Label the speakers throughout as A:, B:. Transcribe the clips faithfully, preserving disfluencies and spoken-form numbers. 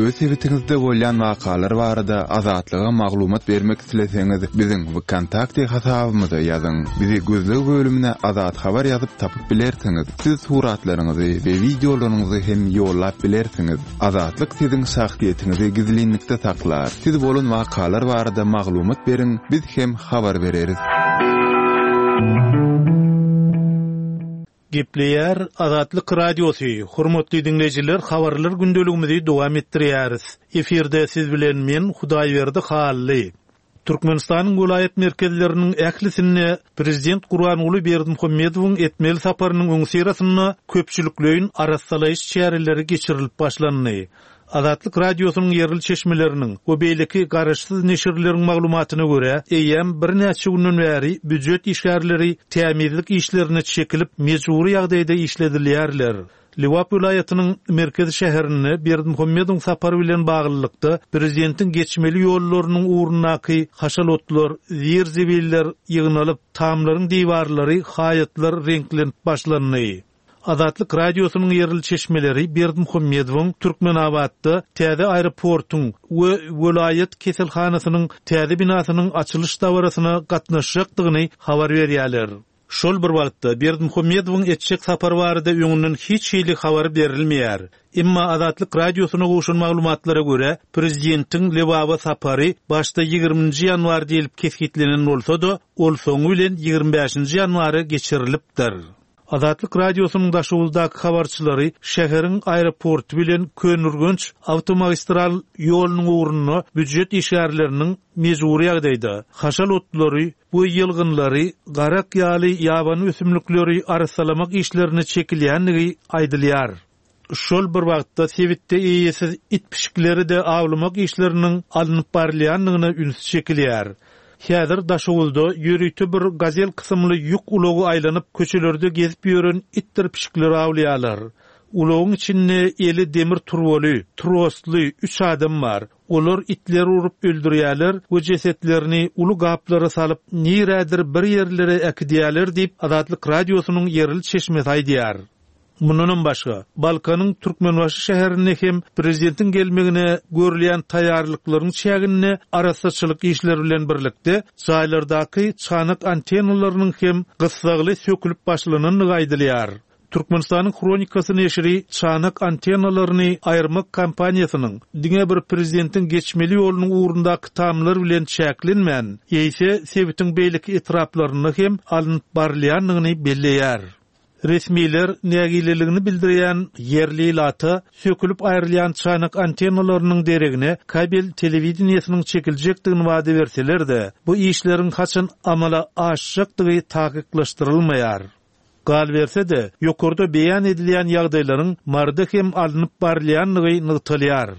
A: Öz sebitiňizde bolýan wakalar barada Azatlyga maglumat bermek isleseňiz, biziň VKontakte hasabymyza ýazyň. Bizi gözleg bölümine Azat Habar ýazyp tapyp bilersiňiz. Siz suratlaryňyzy we wideolaryňyzy hem ýollap bilersiňiz. Azatlyk siziň şahsyýetiňizi gizlinlikde saklar. Siz bolan wakalar barada maglumat beriň, biz hem habar bereris.
B: Gepleýär Azatlyk Radiosy. Hormatly dinleýjiler, habarlar gündeligimizi dowam etdirýäris. Efirde siz bilen men Hudaýberdi Hally. Türkmenistanyň welaýat merkezleriniň ählisinde Prezident Gurbanguly Berdimuhamedowyň etmeli saparynyň öňüsyrasynda köpçülikleýin arassalaýyş çäreleri geçirilip başlandy. Azatlyk Radiosynyň ýerli çeşmeleriniň we beýleki garaşsyz neşirleriň maglumatyna görä, eýýäm birnäçe günden bäri býujet işgärleri tämizlik işlerine çekilip mejbury ýagdaýda işledilýärler. Lebap welaýatynyň merkezi şäherinde Berdimuhamedowyň sapary bilen baglylykda prezidentiň geçmeli ýollarynyň ugrundaky haşal otlar, zir-zibiller ýygnalyp, tamlaryň diwarlary, haýatlar reňklenip başlandy. Azatlyk Radiosynyň ýerli çeşmeleri Berdimuhamedowyň Türkmenabatda täze aeroportuň we welaýat keselhanasynyň täze binasynyň açylyş dabarasyna gatnaşjakdygyny habar berýärler. Şol bir wagtda Berdimuhamedowyň etjek sapary barada öňünden hiç hili habar berilmeýär. Emma Azatlyk Radiosyna gowşan maglumatlara görä, prezidentiň Lebaba sapary başda ýigriminji ýanwar diýilip kesgitlenen bolsa-da, ol soňy bilen ýigrimi bäşinji ýanwara geçirilipdir. Azatlyk Radiosynyň Daşoguzdaky habarçylary şäheriň aeroporty bilen Köneürgenç awtomagistral ýolunyň ugrunda býujet işgärleriniň mejbury ýagdaýda haşal otlary we ýylgynlary, garak ýaly ýabany ösümlikleri arassalamak işlerine çekilýändigi aýdylýar. Şol bir wagtda sebitde eýesiz it pişikleri de awlamak işleriniň alnyp barylýandygyna üns çekilýär. Häzir Daşoguzda ýörite bir gazel kysymly ýük ulagy aýlanyp köçelerde gezip ýören itdir pişikleri awlaýarlar. Ulagyň içinde eli demir turbaly, trosly üç adam bar. Olar itleri urup öldürýärler we jesetlerini uly gaplara salyp nirädir bir ýerlere äkidýärler diýip Azatlyk Radiosynyň ýerli çeşmesi aýdýar. Mundanam başga, Balkanyň Türkmenbaşy şäherinde hem prezidentiň gelmegine görülýän taýýarlyklaryň çäginde arassaçylyk işleri bilen birlikde jaýlardaky çanak antennalarynyň hem gyssagly sökülip başlanandygy aýdylýar. Türkmenistanyň Hronikasy neşiri çanak antennalaryny aýyrmak kampaniýasynyň diňe bir prezidentiň geçmeli ýolunyň ugrundaky tamlar bilen çäklenmän, eýse sebitiň beýleki etraplarynda hem alnyp barylýandygyny belleýär. Resmiler nägileligini bildirýän ýerli ilata sökülip aýrylýan çanak antennalarynyň deregine kabel telewideniýesiniň çekiljekdigini wada berseler-de, bu işleriň haçan amala aşjakdygy takyklaşdyrylmaýar. Galberse-de, ýokarda beýan edilýän ýagdaýlaryň Maryda hem alnyp barylýandygy nygtalýar.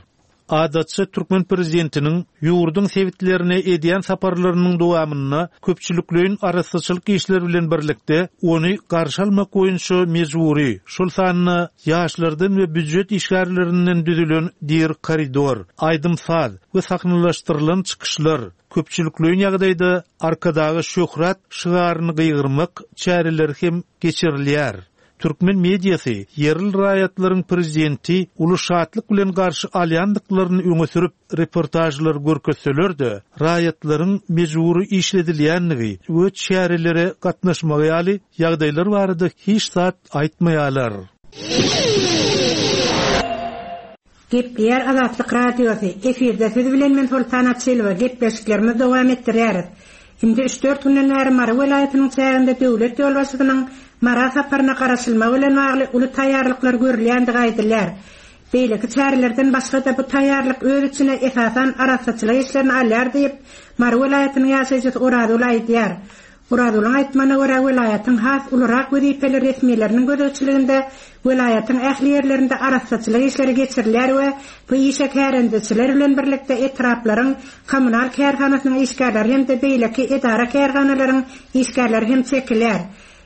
B: Adatça türkmen prezidentiniň ýurduň sebitlerine edýän saparlarynyň dowamynda köpçülikleýin arassaçylyk işleri bilen birlikde ony garşy almak boýunça mejbury, şol sanda ýaşlardan we býujet işgärlerinden düzülen dir koridor, aýdym-saz we sahnalaşdyrylan çykyşlar, köpçülikleýin ýagdaýda Arkadaga şöhrat şygaryny gygyrmak çäreleri hem geçirilýär. Türkmen mediasy ýerli raýatlaryň prezidenti uly şatlyk bilen garşy alýandyklaryny öňe sürüp reportajlar görkezseler-de, raýatlaryň mejbury işledilýändigi we çärelere gatnaşmagy ýaly ýagdaýlar barada hiç zat aýtmaýarlar.
C: Gepleýär Azatlyk Radiosy. Efirde siz bilen men Soltan Açylowa gepleşiklerimizi dowam etdirýäris. Indi üç dört günden bäri Mary welaýatynyň çäginde döwlet ýolbaşçysynyň Mara saparyna garaşylmagy bilen bagly uly taýýarlyklar görülýändigi aýdylýar. Beýleki çärelerden başga-da bu taýýarlyk öz içine esasan arassaçylyk işlerini alýar diýip, Mary welaýatynyň ýaşaýjysy Orazgül aýdýar. Orazgülüň aýtmagyna görä, welaýatyň has ulurak wezipeli resmileriniň gözegçiliginde welaýatyň ähli ýerlerinde arassaçylyk işleri geçirilýär we bu işe kärendeçiler bilen birlikde etraplaryň kommunal kärhanasynyň işgärleri hem-de beýleki edara kärhanalaryň işgärleri hem çekilýär.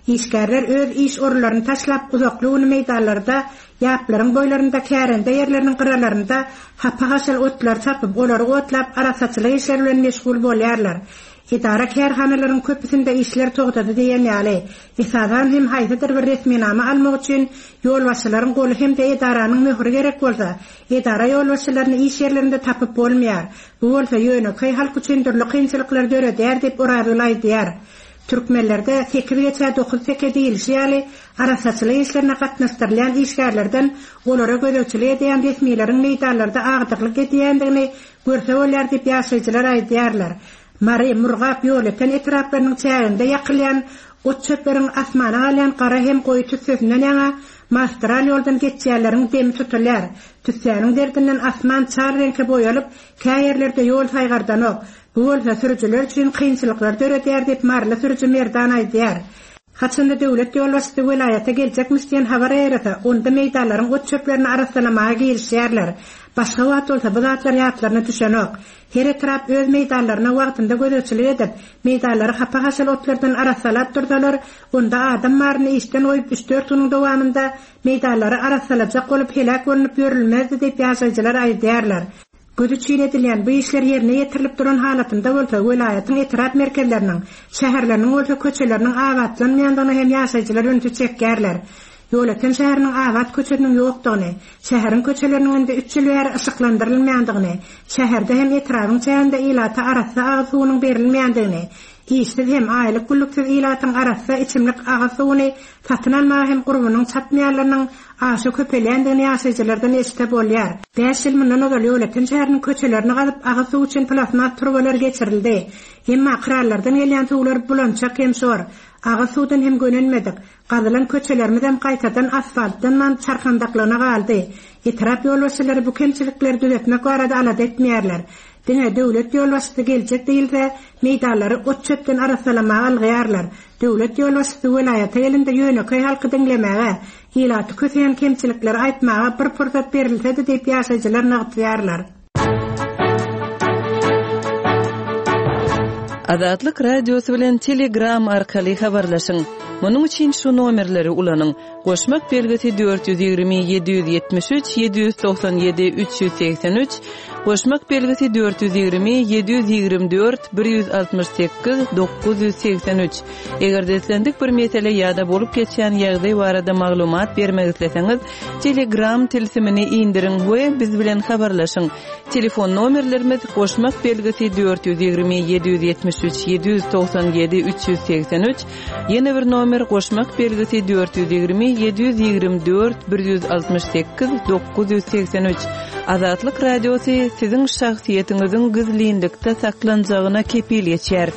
C: Işgärler öz iş orunlaryny taşlap uzakly güni meýdanlarda, ýaplaryň boýlarynda, kärende ýerleriniň gyralarynda hapa haşal otlar çapyp, olary otlap arassaçylyk işleri bilen meşgul bolýarlar. Edara kärhanalaryň köpüsinde işler togtady diýen ýaly, esasan hem haýsydyr bir resminama almak üçin ýolbaşçylaryň goly hem-de edaranyň möhüri gerek bolsa, edara ýolbaşçylaryny iş ýerlerinde tapyp bolmaýar. Bu bolsa ýönekeý halk üçin dürli kynçylyklar döredýär diýip Orazgül aýdýar. Türkmenlerde sekiz geçä dokuz teke diýilişi ýaly arassaçylyk işlerine gatnaşdyrylýan işgärlerden olara gözegçilik edýän resmileriň meýdanlarda agdyklyk edýändigini görse bolýar diýip ýaşaýjylar aýdýarlar. Mary, Murgap, Ýolöten etraplarynyň çäginde ýakylýan ot çöpleriň asmana galýan gara hem goýy tüssesinden ýaňa magistral ýoldan geçýänleriň demi tutulýar. Tüssäniň derdinden asman çal reňke boýalyp, kä ýerlerde ýol saýgardanok. Bu bolsa sürüjiler üçin kynçylyklar döredýär diýip Maryly sürüji Merdan aýdýar. Haçanda döwlet ýolbaşçysy welaýata geljekmiş diýen habar ýaýrasa, onda meýdanlaryň ot çöplerini arassalamaga girişýärler. Başga wagt bolsa bu zatlar ýatlaryna düşenok. Her etrap öz meýdanlaryna wagtynda gözegçilik edip, meýdanlary hapa-haşal otlardan arassalap dursalar, onda adam baryny işden goýup üç-dört günüň dowamynda meýdanlary arassalajak bolup heläk bolunyp ýörülmezdi diýip ýaşaýjylar aýdýarlar. Göz üçin edilýän bu işler ýerine ýetirilip duran halatynda bolsa welaýatyň etrap merkezleriniň, şäherleriniň bolsa köçeleriniň abatlanmaýandygyna hem ýaşaýjylar ünsi çekýärler. Ýolöten şäheriniň abat köçesiniň ýokdugyny, şäheriň köçeleriniň indi üç ýyl bäri yşyklandyrylmaýandygyny, şäherde hem etrabyň çäginde ilata arassa agyz suwunyň berilmeýändigini, işsiz hem aýlyk günlüksiz ilatyň arassa içimlik agyz suwuny satyn almaga hem gurbunyň çatmaýanlarynyň aşa köpelýändigini ýaşaýjylardan eşide bolýar. Bäş ýyl mundan ozal Ýolöten şäheriniň köçelerini gazyp agyz suw üçin plasmas turbalar geçirildi. Emma krallardan gelýän suwlar bulançak hem şor. Agyz suwdan hem gönenmedik. Gazylan köçelerimiz hem gaýtadan asfaltlanman çarkandaklygyna galdy. Etrap ýolbaşçylary bu kemçilikleri düzetmek barada alada etmeýärler. Diňe döwlet ýolbaşçysy geljek diýilse, meýdanlary ot çöpden arassalamaga algyýarlar. Döwlet ýolbaşçysy welaýata gelende ýönekeý halky diňlemäge, ilaty köseýän kemçilikleri aýtmaga bir pursat berilsedi diýip ýaşaýjylar nygtaýarlar.
D: Azatlyk Radiosy bilen Telegram arkaly habarlaşyň. Munuň üçin şu nomerleri ulanyň. Goşmak belgisi dört ýüz ýigrimi ýedi ýüz ýetmiş üç ýedi ýüz togsan ýedi üç ýüz segsen üç, goşmak belgisi dört ýüz ýigrimi ýedi ýüz ýigrimi dört bir ýüz altmyş sekiz dokuz ýüz segsen üç. Eger islendik bir mesele ýa-da bolup geçýän ýagdaý barada maglumat bermek isleseňiz, Telegram tilsimini indiriň we biz bilen habarlaşyň. Telefon nomerlerimiz goşmak belgisi dört ýüz ýigrimi ýedi ýüz ýetmiş üç ýedi ýüz togsan ýedi üç ýüz segsen üç, ýene bir nomer goşmak belgisi dört ýüz ýigrimi ýedi ýüz ýigrimi dört bir ýüz altmyş sekiz dokuz ýüz segsen üç. Azatlyk Radiosy siziň şahsyýetiňiziň gizlinlikde saklanjagyna kepil geçer.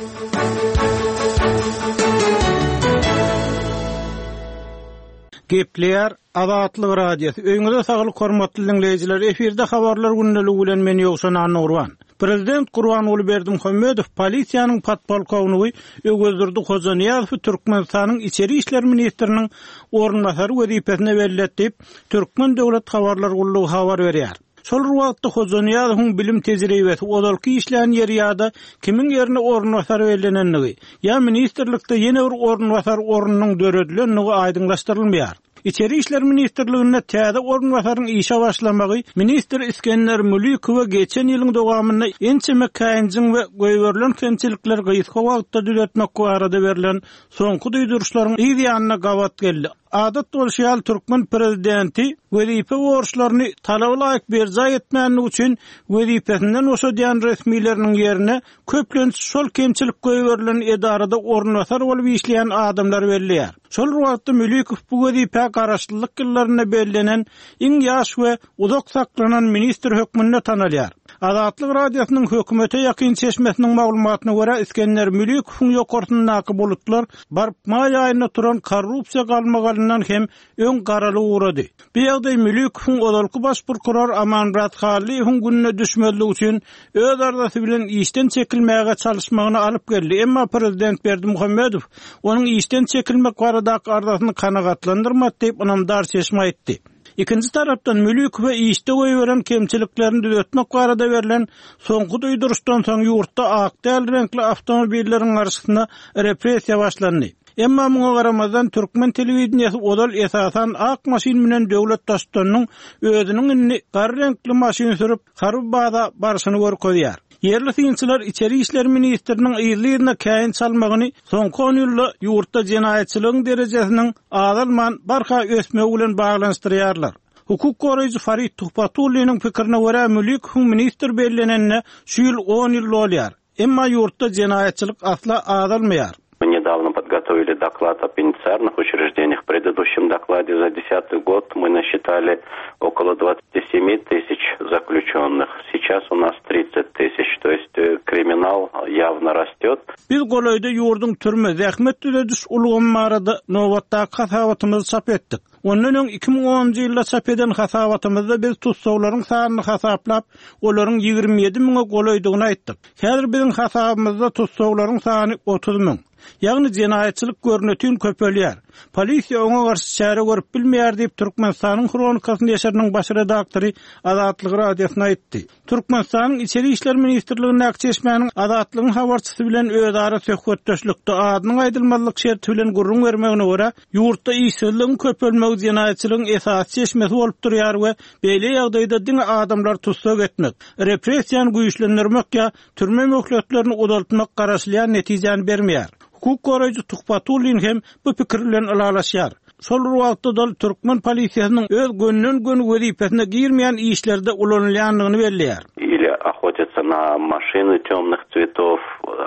E: Gepleýär Azatlyk Radiosy. Öýüňize saglyk hormatly dinleýjiler. Efirde habarlar gündeligi bilen men Ýowşan Annurban. Prezident Gurbanguly Berdimuhamedow polisiýanyň podpolkownigi Öwezdurdy Hojanyýazowy Türkmenistanyň Içeri işler ministriniň orunbasary wezipesine belletti diýip, Türkmen Döwlet Habarlar Gullugy habar berýär. Şol wagtda Hojanyýazowyň bilim tejribesi ozalky işlän ýeri ýa-da kimiň ýerine orunbasar bellenenligi, ýa ministrlikde ýene bir orunbasar ornunyň döredilenligi aýdyňlaşdyrylmaýar. İçeri İşler Ministrliginde täze orunbasaryň işe başlamagy ministr Iskender Mülikowa geçen ýylyň dowamynda ençeme käýinjiň we goýberilen kemçilikler gysga wagtda düzetmek barada berlen soňky duýduryşlaryň yz ýanyna gabat geldi. Adat bolşy ýaly türkmen prezidenti wezipe borçlaryny talaba laýyk berjaý etmänligi üçin wezipesinden boşadýan resmileriniň ýerine köplenç şol kemçilik goýberilen edarada orunbasar bolup işleýän adamlar belleýär. Şol wagtda Mülikow bu wezipe garaşlylyk ýyllarynda bellenen iň ýaş we uzak saklanan ministr hökmünde tanalýar. Azatlyk Radiosynyň hökümete ýakyn çeşmesiniň maglumatyna görä Iskender Mülikowyň ýokarsyndaky bulutlar baryp maý aýynda turan korrupsiýa galmagalyndan hem öň garaly ugrady. Bu ýagdaý Mülikowyň ozalky baş prokuror Amanmyrat Hallyýewiň gününe düşmezligi üçin öz arzasy bilen işden çekilmäge çalyşmagyny alyp geldi. Emma prezident Berdimuhamedow onuň işden çekilmek baradaky arzasyny kanagatlandyrmady diýip ynamdar çeşme aýtdy. Ikinji tarapdan Mülikowa işde goýberen kemçiliklerini düzetmek barada berlen soňky duýduryşdan soň ýurtda ak däl reňkli awtomobilleriň garşysyna repressiýa başlandy. Emma muňa garamazdan türkmen telewideniýesi ozal esasan ak maşyn bilen döwlet baştutanynyň özüniň indi gar reňkli maşyn sürüp harby baza barşyny görkezýär. Ýerli synçylar içeri işler ministriniň yzly-yzyna käýinç almagyny soňky on ýylda ýurtda jenaýatçylygyň derejesiniň azalman barha ösmegi bilen baglanyşdyrýarlar. Hukuk goraýjy Farid Tuhbatulliniň pikirine görä Mülikowyň ministr bellenenine şu ýyl on ýyl bolýar. Emma ýurtda jenaýatçylyk asla azalmaýar.
F: Мы недавно подготовили доклад о пенитенциарных учреждениях. В предыдущем докладе за десятый год мы насчитали около двадцати семи тысяч заключенных. Сейчас у нас тридцать тысяч, то есть, э, криминал явно растет.
E: Biz golaýda ýurduň türme zähmet düzediş ulgamy barada nobatdaky hasabatymyzy çap etdik. Ondan öň iki müň onunjy ýylda çap eden hasabatymyzda biz tutsaglaryň sanyny hasaplap, olaryň ýigrimi ýedi müňe golaýdygyny aýtdyk. Häzir biziň hasabymyzda tutsaglaryň sany otuz müň. Ýagny jenaýatçylyk görnütün köpelýär. Polisiýa oňa garşy çäre görüp bilmeýär diýip Türkmenistanyň Hronikasy neşiriniň baş redaktory Azatlyk radiosyna aýtdy. Türkmenistanyň Içeri İşler Ministrligindäki çeşmäniň Azatlygyň habarçysy bilen özara söhbetdeşlikde adynyň aýdylmazlyk şerti bilen gürrüň bermegine görä, ýurtda işsizligiň köpelmegi jenaýatçylygyň esasy çeşmesi bolup durýar we beýle ýagdaýda diňe adamlar tutsak etmek, repressiýany güýçlendirmek ýa türme möhletlerini uzaltmak garaşylýan netijäni bermeýär. Hukuk goraýjy Tuhbatullin hem bu pikir bilen ylalaşýar. Şol bir wagtda da türkmen polisiýasynyň öz gönden-gön wezipesine girmeýän işlerde ulanylýandygyny belleýär.
F: Или охотиться на машины темных цветов,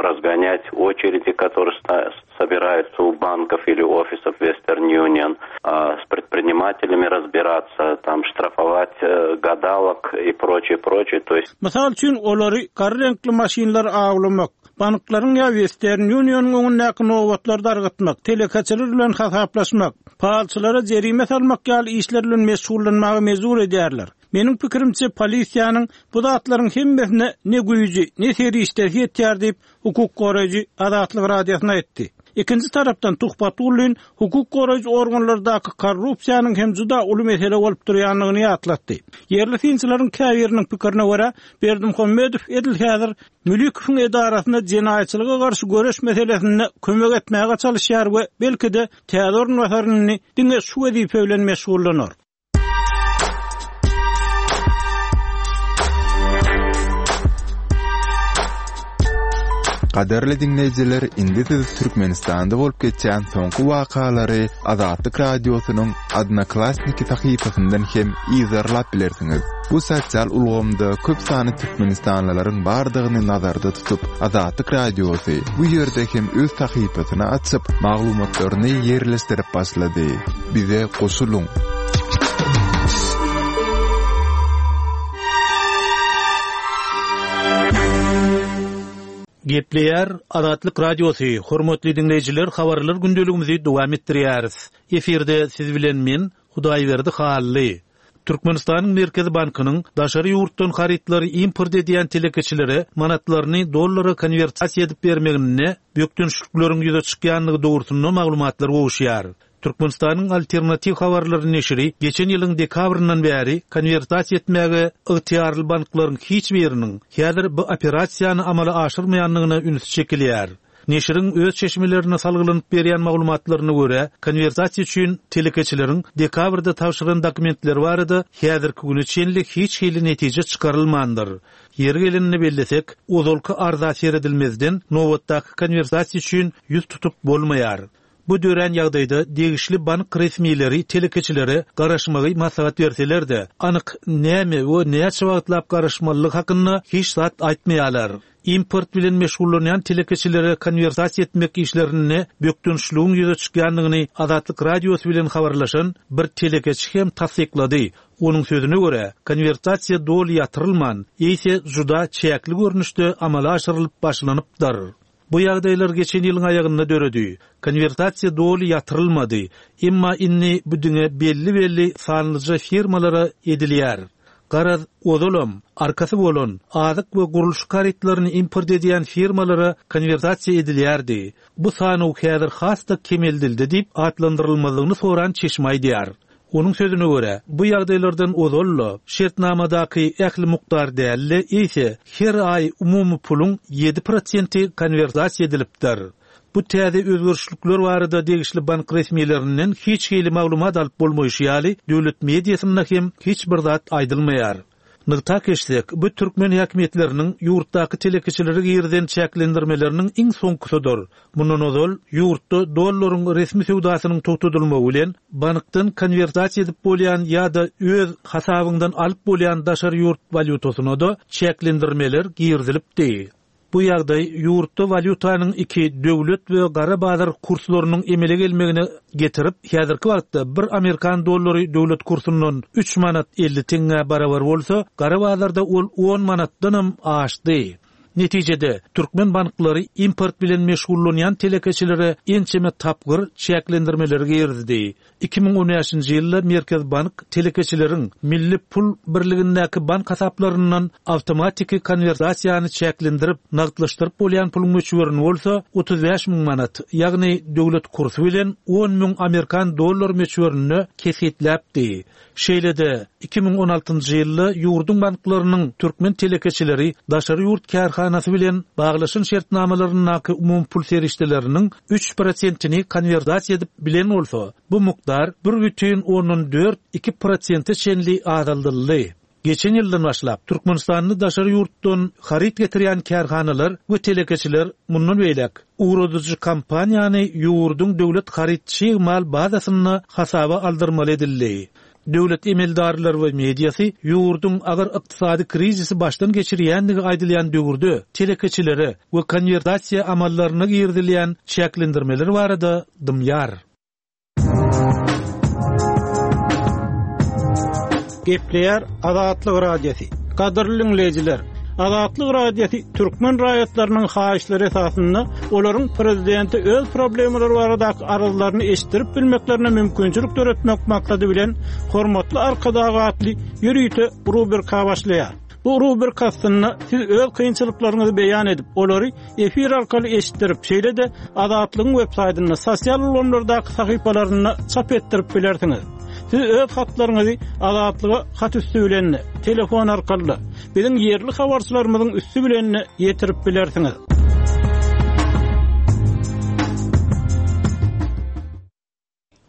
F: разгонять очереди, которые ста-, собираются у банков или офисов Western Union, а, с предпринимателями разбираться, там штрафовать, э, гадалок и прочее, прочее. То есть
E: Mysal üçin olary gar reňkli maşynlar awlamak, banklaryň ýa Western Union'yň öňündäki nobatlary dargatmak, telekeçiler bilen hasaplaşmak, palçylara jerime salmak ýaly işler bilen meşgullanmaga mejbur edýärler. Meniň pikirimçe polisiýanyň bu zatlaryň hemmesine ne güýji, ne serişdesi ýetýär diýip hukuk goraýjy Azatlyk radiosyna aýtdy. Ikinji tarapdan Tuhbatullin hukuk goraýjy organlardaky korrupsiýanyň hem juda uly mesele bolup durýandygyny ýatlatdy. Ýerli synçylaryň käbiriniň pikirine görä Berdimuhamedow edil häzir Mülikowyň edarasyna jenaýatçylyga garşy göreş meselesinde kömek etmäge çalışýar we belki-de täze orunbasaryny diňe şu wezipe bilen meşgullanar.
A: Gadarly dinleýjiler, indi siz Türkmenistanda bolup geçýän soňky wakalary Azatlyk radiosynyň Odnoklassniki sahypasyndan hem izarlap bilersiňiz. Bu sosial ulgamda köp sany türkmenistanlylaryň bardygyny nazarda tutup, Azatlyk radiosy bu ýerde hem öz sahypasyny açyp, maglumatlaryny ýerleşdirip başlady. Bize goşulyň.
B: Gepleýär Azatlyk Radiosy, hormatly dinleýjiler, habarlar gündeligimizi dowam etdirýäris. Efirde siz bilen men Hudaýberdi Hally. Türkmenistanyň Merkezi Bankynyň daşary ýurtdan harytlary import edýän telekeçilere manatlaryny dollara konwertasiýa edip bermegine bökdençlikleriň ýüze çykýandygy dogrusynda maglumatlar gowuşýar. Türkmenistanyň alternatiw habarlary neşiri geçen ýylyň dekabryndan bäri konwertasiýa etmäge ygtyýarly banklaryň hiç biriniň häzir bu operasiýany amala aşyrmaýandygyna üns çekilýär. Neşiriň öz çeşmelerine salgylanyp berýän maglumatlaryna görä, konwertasiýa üçin telekeçileriň dekabrda tabşyran dokumentleri barada häzirki güne çenli hiç hili netije çykarylmandyr. Ýeri gelenini bellesek, ozalky arza seredilmezden nobatdaky konwertasiýa üçin ýüz tutup bolmaýar. Bu dörän ýagdaýda degişli bank resmileri telekeçilere garaşmagy maslahat berseler-de, anyk näme we näçe wagtlap garaşmalylyk hakynda hiç zat aýtmaýarlar. Import bilen meşgullanýan telekeçilere konwertasiýa etmek işlerinde bökdençligiň ýüze çykýandygyny Azatlyk radiosy bilen habarlaşan bir telekeçi hem tassyklady. Onuň sözüne görä, konwertasiýa doly ýatyrylman, eýse juda çäkli görnüşde amala aşyrylyp başlanypdyr. Bu ýagdaýlar geçen ýylyň aýagynda döredi. Konwertasiýa doly ýatyrylmady. Emma indi bu diňe belli-belli sanlyja firmalara edilýär. Garaz ozalam, arkasy bolan azyk we gurluşyk harytlaryny import edýän firmalara konwertasiýa edilýärdi. Bu sanaw häzir has-da kemeldildi diýip atlandyrylmadygyny soran çeşme aýdýar. Onuň sözüne görä, bu ýagdaýlardan ozalla şertnamadaky ähli mukdar dälli, eýse her aý umumy puluň ýedi prosenti konwertasiýa edilipdir. Bu täze özgerişlikler barada degişli bank resmilerinden hiç hili maglumat alyp bolmaýşy ýaly, döwlet mediasynda hem hiç bir zat aýdylmaýar. Nygtap geçsek, bu türkmen häkimiýetleriniň ýurtdaky telekeçilere girizen çäklendirmeleriniň iň soňkusydyr. Mundan ozal ýurtda dollaryň resmi söwdasynyň togtadylmagy bilen bankdan konwertasiýa edip bolýan ýa-da öz hasabyňdan alyp bolýan daşary ýurt walýutasyna da çäklendirmeler girizilipdi. Bu ýagdaý ýurtda walýutanyň iki döwlet we gara bazar kurslarynyň emele gelmegine getirip, häzirki wagtda bir amerikan dollary döwlet kursundan üç manat elli teňňä barabar bolsa, gara bazarda ol on manatdanam aşdy. Netijede türkmen banklary import bilen meşgullanýan telekeçilere ençeme tapgyr çäklendirmeleri girizdi. Iki müň on bäşinji ýylda Merkez bank telekeçileriň milli pul birligindäki bank hasaplaryndan awtomatiki konwertasiýany çäklendirip, nagtlaşdyryp bolýan puluň möçberini bolsa otuz bäş müň manat, ýagny döwlet kursy bilen on müň amerikan dollar möçberinde kesgitläpdi. Şeýle-de iki müň on altynjy ýylda ýurduň banklarynyň türkmen telekeçileri daşary ýurt kärhanasy bilen baglaşan şertnamalaryndaky umum pul serişdeleriniň üç prosentini konwertasiýa edip bilen bolsa, bu mukdar bir bütin ondan dört iki prosente çenli azaldyldy. Geçen ýyldan başlap Türkmenistanda daşary ýurtdan haryt getirýän kärhanalar we telekeçiler mundan beýläk ugradyjy kompaniýany ýurduň döwlet haryt çig mal bazasynda hasaba aldyrmaly edildi. Döwlet emeldarlary we mediasy ýurduň agyr ykdysady krizisi başdan geçirýändigi aýdylýan döwürde telekeçilere we konwertasiýa amallaryna girizilýän çäklendirmeler barada dymýar.
E: Gepleýär Azatlyk Radiosy. Gadyrly dinleýjiler, Azatlyk Radiosy türkmen raýatlarynyň haýyşlary esasynda olaryň prezidenti öz problemalary baradaky arzlaryny eşitdirip bilmeklerine mümkinçilik döretmek maksady bilen Hormatly Arkadag atly ýörite rubrika başlaýar. Bu rubrika aslynda siz öz kynçylyklaryňyzy beýan edip, olary efir arkaly eşitdirip, şeýle-de Azatlygyň web saýtynda, sosial ulgamlardaky sahypalarynda çap etdirip bilersiňiz. Siz öz hatlaryňyzy Azatlyga hat üstü bilen, telefon arkaly, biziň ýerli habarçylarymyzyň üstü bilen ýetirip bilersiňiz.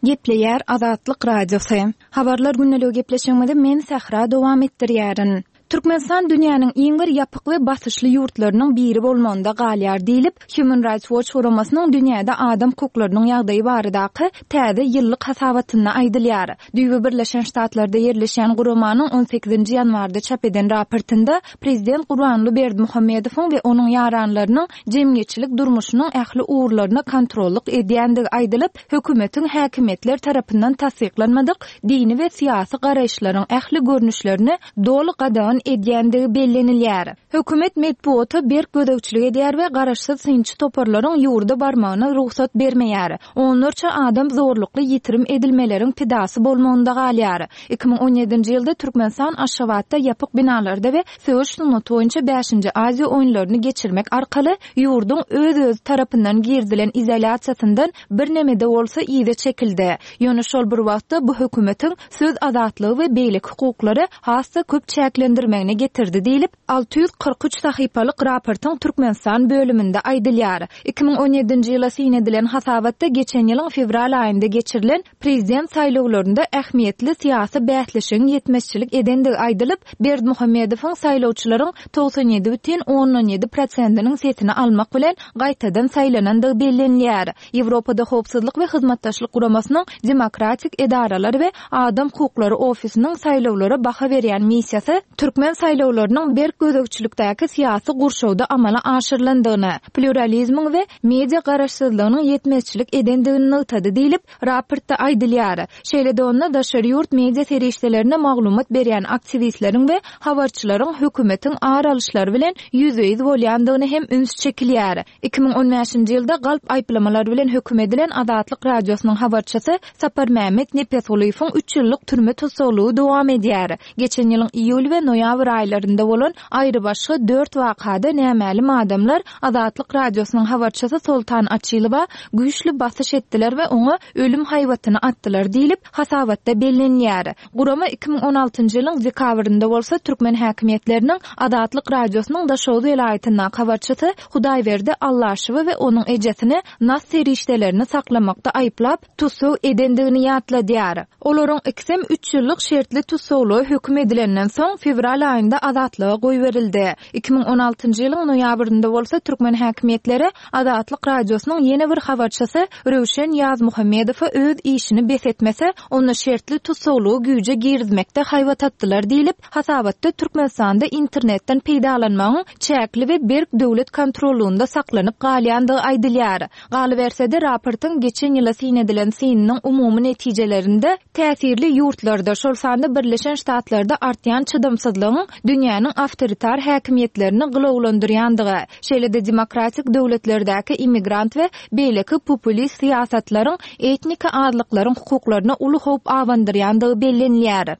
G: Gepleýär Azatlyk Radiosy. Habarlar gündeligi gepleşigimizi men Sähra dowam etdirýärin. Türkmenistan dünýäniň iň bir ýapyk we basyşly ýurtlarynyň biri bolmagynda galýar diýlip, Human Rights Watch guramasynyň dünýäde adam hukuklarynyň ýagdaýy baradaky täze ýyllyk hasabatynda aýdylýar. Düýbi Birleşen Ştatlarda ýerleşen guramanyň on sekizinji ýanwarda çap eden raportynda Prezident Gurbanguly Berdimuhamedowyň we onuň ýaranlarynyň jemgyýetçilik durmuşynyň ähli ugurlaryna kontrollyk edýändigi aýdylyp, hökümetiň häkimiýetler tarapyndan tassyklanmadyk dini we syýasy garaýyşlaryň ähli görnüşlerini doly gadagan edýändigi bellenilýär. Hökümet metbuata berk gözegçilik edýär we garaşsyz synçy toparlaryň ýurda barmagyna rugsat bermeýär. Onlarça adam zorlukly ýitirim edilmeleriň pidasy bolmagynda galýar. Iki müň on ýedinji ýylda Türkmenistan Aşgabatda ýapyk binalarda we söweş sungaty boýunça bäşinji Aziýa oýunlaryny geçirmek arkaly ýurduň öz-öz tarapyndan girizilen izolýasiýasyndan bir nemede bolsa yza çekildi. Ýöne şol bir wagtda bu hökümetiň söz azatlygy we beýleki hukuklary has-da köp çäklendirmegine getirdi diýlip, alty ýüz kyrk üç sahypalyk raportyň Türkmenistan bölüminde aýdylýar. Iki müň on ýedinji ýyla syn edilen hasabatda geçen ýylyň fewral aýynda geçirilen prezident saýlawlarynda ähmiýetli syýasy bäsleşigiň ýetmezçilik edendigi aýdylyp, Berdimuhamedowyň saýlawçylaryň togsan ýedi bütin ondan ýedi prosentiniň sesini almak bilen gaýtadan saýlanandygy bellenilýär. Ýewropada Howpsuzlyk we Hyzmatdaşlyk Guramasynyň Demokratik edaralar we Adam hukuklary ofisiniň saýlawlara baha berýän missiýasy türkmen saýlawlarynyň berk gözegçilikdäki syýasy gurşawda amala aşyrylandygyny, pluralizmiň we media garaşsyzlygynyň ýetmezçilik edendigini nygtady diýlip, raportda aýdylýar. Şeýle-de onda daşary ýurt media serişdelerine maglumat berýän aktiwistleriň we habarçylaryň hökümetiň ar alyşlary bilen ýüzbe-ýüz bolýandygyny hem üns çekilýär. Iki müň on bäşinji ýylda galp aýyplamalar bilen höküm edilen Azatlyk Radiosynyň habarçysy Sapar Mehmet Nepesgulyýewiň üç ýyllyk türme tussaglygy dowam edýär. Geçen ýylyň iýul we noýabr aýlarynda bolan aýrybaşga dört wakada nämälim adamlar Azatlyk Radiosynyň habarçysy Soltan Açylowa güýçli basyş etdiler we oňa ölüm haýbatyny atdylar diýlip hasabatda bellenýär. Gurama iki müň on altynjy ýylyň dekabrynda bolsa türkmen häkimiýetleriniň Azatlyk Radiosynyň Daşoguz welaýatyndaky habarçysy Hudaýberdi Allaşowy we onuň ejesini nas serişdelerini saklamakda aýyplap tussag edendigini ýatladýar. Olaryň ikisem üç ýyllyk şertli tussaglyga höküm edilenden soň fewral fewral aýynda Azatlyga goýberildi. Iki müň on altynjy ýylyň noýabrynda bolsa türkmen häkimiýetleri Azatlyk Radiosynyň ýene bir habarçysy Röwşen Ýazmuhammedowa öz işini bes etmese, onda şertli tussaglygy güýje girizmekde haýbat atdylar diýlip, hasabatda Türkmenistanda internetden peýdalanmagyň çäkli we berk döwlet kontrollugynda saklanyp galýandygy aýdylýar. Galyberse-de raportyň geçen ýyla syn edilen synynyň umumy netijelerinde täsirli ýurtlarda, şol sanda Birleşen Ştatlarda artýan çydamsyzlygyň dünýäniň awtoritar häkimiýetlerini gylawlandyrýandygy, şeýle-de demokratik döwletlerdäki immigrant we beýleki populist syýasatlaryň etnik azlyklaryň hukuklaryna uly howp abandyrýandygy bellenilýär.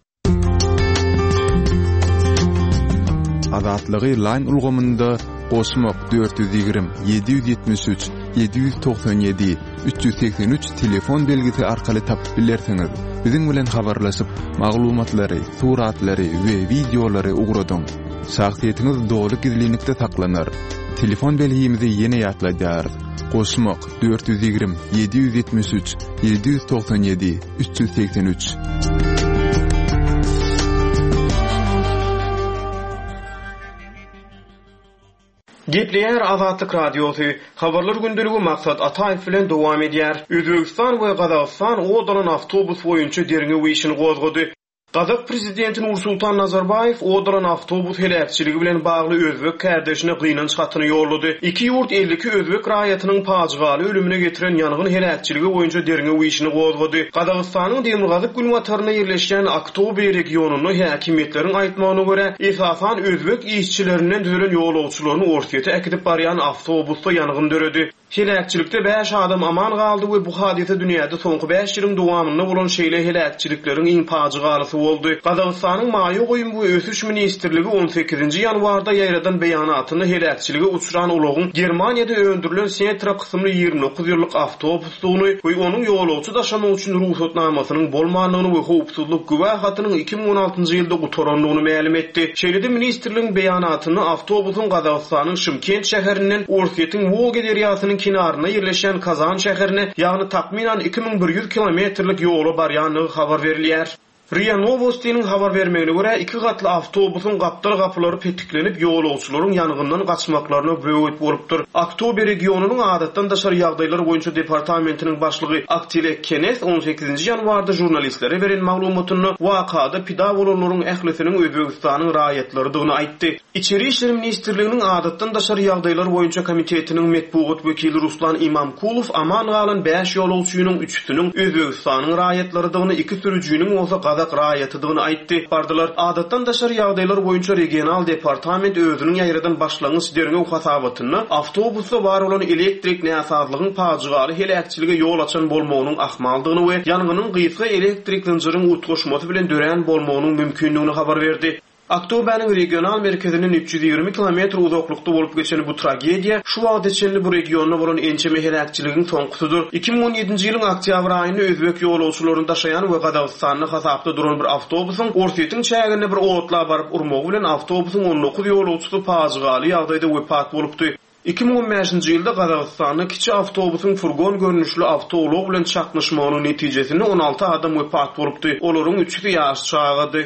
A: Azatlygy line ulgamynda goşmak dört ýüz ýigrimi, ýedi ýüz ýetmiş üç, ýedi ýüz togsan ýedi, üç ýüz segsen üç telefon belgisi arkaly tapyp bilersiňiz. Biziň bilen habarlaşyp, maglumatlary, suratlary we wideolary ugradyň. Şahsyýetiňiz doly gizlinlikde saklanar. Telefon belgimizi ýene ýatladýarys. Goşmak dört ýüz ýigrimi, ýedi ýüz ýetmiş üç, ýedi ýüz togsan ýedi, üç ýüz segsen üç.
H: Gepleýär Azatlyk Radiosy. Habarlar gündeligi Maksat Ataýew bilen dowam edýär. Özbegistan we Gazagystan ot alan awtobus boýunça derňew işini gozgady. Gazak prezidenti Nursultan Nazarbaýew ot alan awtobus heläkçiligi bilen bagly özbek kärdeşine gynanç hatyny ýollady. Iki ýurt elli iki özbek raýatynyň pajygaly ölümine getiren ýangyn heläkçiligi boýunça derňew işini gozgady. Gazagystanyň demirgazyk günbatarynda ýerleşýän Aktobe regionynda häkimiýetleriň aýtmagyna görä, esasan özbek işçilerinden düzülen ýolagçylaryny Orsýete äkidip barýan awtobusda ýangyn döredi. Heläkçilikde bäş adam aman galdy we bu hadysa dünýäde soňky bäş ýylyň dowamynda bolan şeýle heläkçilikleriň iň pajygalysy boldy. Gazagystanyň Maýa goýum we ösüş ministrligi on sekizinji ýanwarda ýaýradan beýanatynda heläkçilige uçran ulagyň Germaniýada öndürilen Setra kysymly ýigrimi dokuz ýyllyk awtobusdygyny we onuň ýolagçy daşamak üçin rugsatnamasynyň bolmandygyny we howpsuzlyk güwä hatynyň iki müň on altynjy ýylda gutarandygyny mälim etdi. Şeýle-de ministrligiň beýanatynda awtobusyň Gazagystanyň Şymkent şäherinden Orsýetiň Wolga derýasynyň kenarynda ýerleşýän Kazan şäherine, ýagny takmynan iki müň bir ýüz kilometrlik ýola barýandygy habar berilýär. RIA Novostiniň habar bermegine görä, iki gatly awtobusyň gapdal gapylary petiklenip, ýolagçylaryň ýangyndan gaçmaklaryna böwet bolupdyr. Aktobe regionynyň adatdan daşary ýagdaýlar boýunça departamentiniň başlygy Aktilek Kenes on sekizinji ýanwarda žurnalistlere beren maglumatynda wakada pida bolanlaryň ählisiniň Özbegistanyň raýatlarydygyny aýtdy. Içeri İşler Ministrliginiň adatdan daşary ýagdaýlar boýunça komitetiniň metbugat wekili Ruslan Imamkulow aman galan bäş ýolagçynyň üçüsiniň Özbegistanyň raýatlarydygyny, iki sürüjiniň bolsa Gazak raýatydygyny aýtdy. Bardylar. Adatdan daşary ýagdaýlar boýunça regional departament özüniň ýaýradan başlangyç derňew hasabatynda awtobusda bar bolan elektrik näsazlygyň pajygaly heläkçilige ýol açan bolmagynyň ahmaldygyny we ýangynyň gysga elektrik zynjyryň utgaşmasy bilen dörän bolmagynyň mümkindigini habar berdi. Aktobäniň regional merkezinden üç ýüz ýigrimi kilometr uzaklykda bolup geçen bu tragediýa şu wagta çenli bu regionda bolan ençeme heläkçiligiň soňkusydyr. Iki müň on ýedinji ýylyň oktýabr aýynda özbek ýolagçylaryny daşaýan we Gazagystanda hasapda duran bir awtobusyň Orsýetiň çäginde bir otla baryp urmagy bilen awtobusyň on dokuz ýolagçysy pajygaly ýagdaýda wepat bolupdy. Iki müň on bäşinji ýylda Gazagystanda kiçi awtobusyň furgon görnüşli awtoulag bilen çaknyşmagynyň netijesinde on alty adam wepat bolupdy. Olaryň üçüsi ýaş çagady.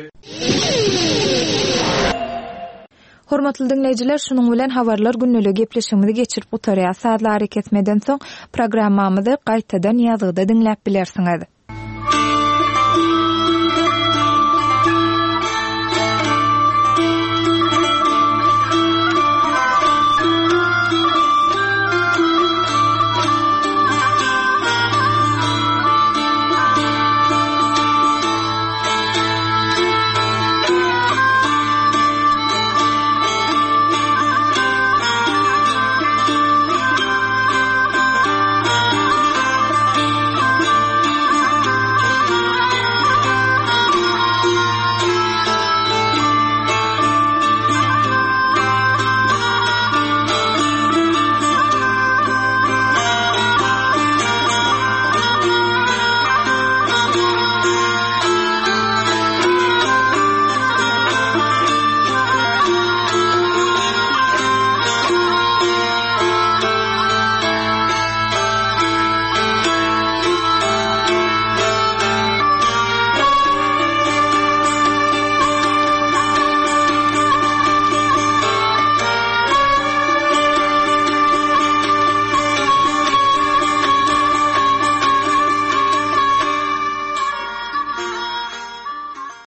G: Hormatly dinleýjiler, şunuň bilen habarlar günlügi gepleşigimizi geçirip gutarýar. Sazlary kesmeden soň programmamyzy gaýtadan ýazgyda diňläp bilersiňiz.